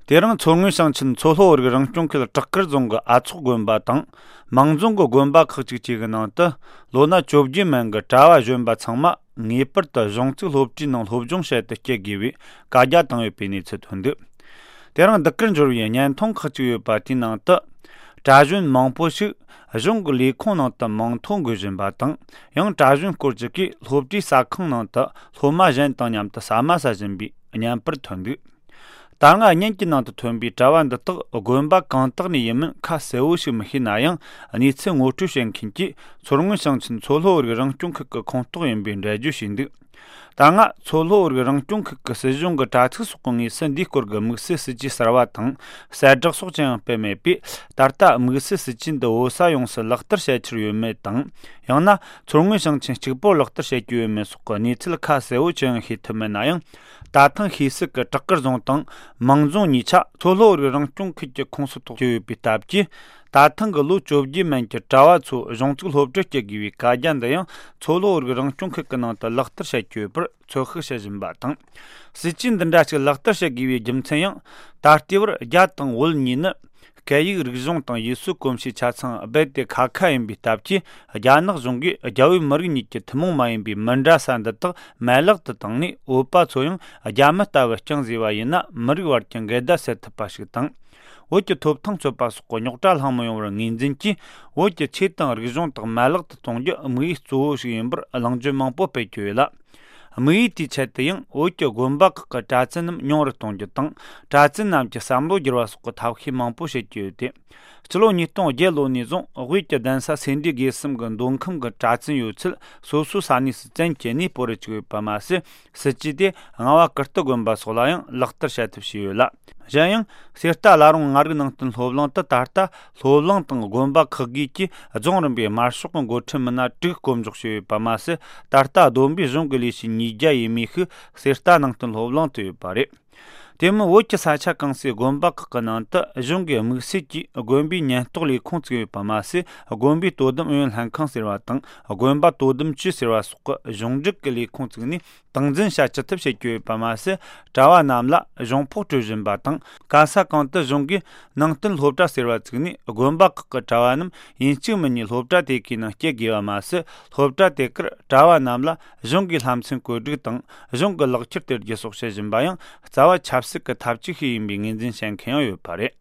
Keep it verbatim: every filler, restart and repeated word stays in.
དེ་རིང་མཚོ་སྔོན་ཞིང་ཆེན་མཚོ་ལྷོ་བོད་རིགས་རང་སྐྱོང་ཁུལ་བྲག་དཀར་རྫོང་གི་ཨ་ཚོགས་དགོན་པ་དང་། མང་རྫོང་གི་དགོན་པ་ཁག་ཅིག་བཅས་ཀྱི་ནང་དུ་ལོ་ན་བཅོ་བརྒྱད་མན་གྱི་གྲྭ་བ་གཞོན་པ་ཚང་མ་ངེས་པར་དུ་གཞུང་བཙུགས་སློབ་གྲྭའི་ནང་སློབ་སྦྱོང་བྱེད་དུ་སྐྱེལ་དགོས་པའི་བཀའ་རྒྱ་བཏང་ཡོད་པའི་གནས་ཚུལ་ཐོན་འདུག་དེ་རིང་འདི་གར་འབྱོར་བའི་བརྙན་ཐུང་ཁག་ཅིག་ཡོད་པ་དེའི་ནང་དུ། གྲྭ་གཞོན་མང་པོ་ཞིག་གཞུང་གི་ལས་ཁུངས་ནང་དུ་མིང་ཐོ་འགོད་བཞིན་པ་དང་། ཡང་གྲྭ་གཞོན་སྐོར་ཅིག་གིས་སློབ་གྲྭའི་ཟ་ཁང་ནང་དུ་སློབ་མ་གཞན་དང་མཉམ་དུ་ཟ་མ་ཟ་བཞིན་པའི་བརྙན་པར་ཐོན་འདུག་ད་སྔ་བརྙན་གྱི་ནང་དུ་ཐོན་པའི་གྲྭ་བ་འདི་དག་དགོན་པ་གང་དག་ནས་ཡིན་མིན་ཁ་གསལ་བོ་ཞིག་མི་ཤེས་ན་ཡང་། གནས་ཚུལ་ངོ་སྤྲོད་བྱེད་མཁན་གྱིས་མཚོ་སྔོན་ཞིང་ཆེན་མཚོ་ལྷོ་བོད་རིགས་རང་སྐྱོང་ཁུལ་གྱི་ཁོངས་གཏོགས་ཡིན་པའི་འགྲེལ་བརྗོད་བྱས་འདུག་ད་སྔ་མཚོ་ལྷོ་བོད་རིགས་རང་སྐྱོང་ཁུལ་གྱི་སྲིད་གཞུང་གི་དྲ་ཚིགས་སོགས་ཀྱི་ངོས་སུ་འདིའི་སྐོར་གྱི་དམིགས་བསལ་སྲིད་ཇུས་གསར་བ་དང་གསལ་བསྒྲགས་སོགས་ཅི་ཡང་སྤེལ་མེད་པས། ད་ལྟ་དམིགས་བསལ་སྲིད་ཇུས་འདི་བོད་ས་ཡོངས་སུ་ལག་བསྟར་བྱེད་ཀྱི་ཡོད་མེད་དང་། ཡང་ན་མཚོ་སྔོན་ཞིང་ཆེན་གཅིག་པོར་ལག་བསྟར་བྱེད་ཀྱི་ཡོད་མེད་སོགས་ཀྱི་གནས་ཚུལ་ཁ་གསལ་བོ་ཅི་ཡང་ཤེས་ཐུབ་མེད་ན་ཡང་། ད་ཐེངས་ཤེས་གསལ་གྱི་བྲག་དཀར་རྫོང་དང་མང་རྫོང་གཉིས་ཆ་མཚོ་ལྷོ་བོད་རིགས་རང་སྐྱོང་ཁུལ་གྱི་ཁོངས་སུ་གཏོགས་ཀྱི་ཡོད་པའི་སྟབས་ཀྱིས། ད་ཐེངས་ཀྱི་ལོ་བཅོ་བརྒྱད་མན་གྱི་གྲྭ་བ་ཚོ་གཞུང་བཙུགས་སློབ་གྲྭར་སྐྱེལ་དགོས་པའི་བཀའ་རྒྱ་འདི་ཡང་མཚོ་ལྷོ་བོད་རིགས་རང་སྐྱོང་ཁུལ་གྱི་ནང་དུ་ལག་བསྟར་བྱེད་ཀྱི་ཡོད་པར་ཚོད་དཔག་བྱེད་བཞིན་པ་དང་། སྲིད་ཇུས་འདི་འདྲ་ཞིག་ལག་བསྟར་བྱེད་དགོས་པའི་རྒྱུ་མཚན་ཡང་། ད་ལྟའི་བར་རྒྱ་དང་བོད་གཉིས་ནི་སྐད་ཡིག་རིག་གཞུང་དང་ཡུལ་སྲོལ་གོམས་གཤིས་ཆ་ཚང་རྦད་དེ་ཁ་ཁ་ཡིན་པའི་སྟབས་ཀྱིས། རྒྱ་ནག་གཞུང་གིས་རྒྱ་བོད་མི་རིགས་གཉིས་ཀྱི་ཐུན་མོང་མ་ཡིན་པའི་མི་འདྲ་ས་འདི་དག་མ་ལག་ཏུ་བཏང་ནས། བོད་པ་ཚོ་ཡང་རྒྱ་མི་ལྟ་བུ་རྐྱང་བཟོས་པ་ཡིན་ན། མི་རིགས་བར་གྱི་འགལ་ཟླ་སེལ་ཐུབ་པ་ཞིག་དང་། བོད་ཀྱི་ཐོབ་ཐང་རྩོད་པ་སོགས་ཀྱི་རྙོག་དྲ་ལྷང་མི་ཡོང་བར་ངོས་འཛིན་གྱིས། བོད་ཀྱི་ཆོས་དང་རིག་གཞུང་དག་མ་ལག་ཏུ་གཏོང་རྒྱུ་དམིགས་ཡུལ་གཙོ་བོ་ཞིག་ཡིན་པར་གླེང་བརྗོད་མང་པོ་སྤེལ་གྱི་ཡོད་ལ། དམིགས་ཡུལ་དེའི་ཆེད་དུ་ཡང་བོད་ཀྱི་དགོན་པ་ཁག་གི་གྲྭ་བཙུན་རྣམས་ཉུང་རུ་གཏོང་རྒྱུ་དང་། གྲྭ་བཙུན་རྣམས་ཀྱི་བསམ་བློ་བསྒྱུར་བ་སོགས་ཀྱི་ཐབས་ཤེས་མང་པོ་བྱེད་ཀྱི་ཡོད་དེ། ཕྱི་ལོ་ཉིས་སྟོང་བརྒྱད་ལོ་ནས་བཟུང་བོད་ཀྱི་གདན་ས་སེ་འབྲས་དགེ་གསུམ་གྱི་མདོ་ཁམས་ཀྱི་གྲྭ་བཙུན་ཡོད་ཚད་སོ་སོའི་ས་གནས་སུ་བཙན་བྱས་ནས་སྤོ་རུ་བཅུག་ཡོད་པ་མ་ཟད། སྲིད་ཇུས་དེ་རྔ་བ་ཀིརྟི་དགོན་པ་སོགས་ལ་ཡང་ལག་བསྟར་བྱ་ཐབས་བྱས་ཡོད་ལ། གཞན་ཡང་། གསེར་རྟ་བླ་རུང་མངའ་རིས་ནང་བསྟན་སློབ་གླིང་དུ་ད་ལྟ་སློབ་གླིང་དང་དགོན་པ་ཁག་བགོས་ཀྱིས་རྫོང་རིམ་པའི་དམར་ཤོག་གི་འགོ་ཁྲིད་མི་སྣ་དྲུག་བསྐོ་འཇོག་བྱས་ཡོད་པ་མ་ཟད། ད་ལྟ་བསྡོམས་པས་གཞུང་གི་ལས་བྱེད་ཉིས་བརྒྱ་ཡས་མས་ཤིག་གསེར་རྟ་ནང་བསྟན་སློབ་གླིང་དུ་ཡོད་པ་རེད། དེ་མིན་བོད་ཀྱི་ས་ཆ་གང་སའི་དགོན་པ་ཁག་གི་ནང་དུ་གཞུང་གི་དམིགས་བསལ་གྱིས་དགོན་པའི་ཉེན་རྟོག་ལས་ཁུངས་བཙུགས་ཡོད་པ་མ་ཟད། དགོན་པའི་དོ་དམ་ཨུ་ཡོན་ལྷན་ཁང་ཟེར་བ་དང་། དགོན་པ་དོ་དམ་ཅུས་ཟེར་བ་སོགས་ཀྱི་གཞུང་འབྲེལ་གྱི་ལས་ཁུངས་བཙུགས་ནས་སྟངས་འཛིན་བྱ་ཅི་ཐུབ་བྱེད་ཀྱི་ཡོད་པ་མ་ཟད། གྲྭ་བ་རྣམས་ལ་གཞུང་ཕོགས་སྤྲོད་བཞིན་པ་དང་། ག་ས་གང་དུ་གཞུང་གིས་ནང་བསྟན་སློབ་གྲྭ་ཟེར་བ་བཙུགས་ནས། དགོན་པ་ཁག་གི་གྲྭ་བ་རྣམས་ཡིན་གཅིག་མིན་གཉིས་སློབ་གྲྭ་དེ་གའི་ནང་སྐྱེལ་དགོས་པ་མ་ཟད། སློབ་གྲྭ་དེ་གར་གྲྭ་བ་རྣམས་ལ་གཞུང་གིས་ལྷ་མཚན་བཀོད་སྒྲིག་དང་། གཞུང་གི་ལག་ཁྱེར་སྟེར་རྒྱུ་སོགས་བྱེད་བཞིན་པ་ཡང་རྩ་བ་ཆབ་སྲིད་ཀྱི་ཐབས་ཇུས་ཤིག་ཡིན་པའི་ངོས་འཛིན་བྱེད་མཁན་ཡང་ཡོད་པ་རེད།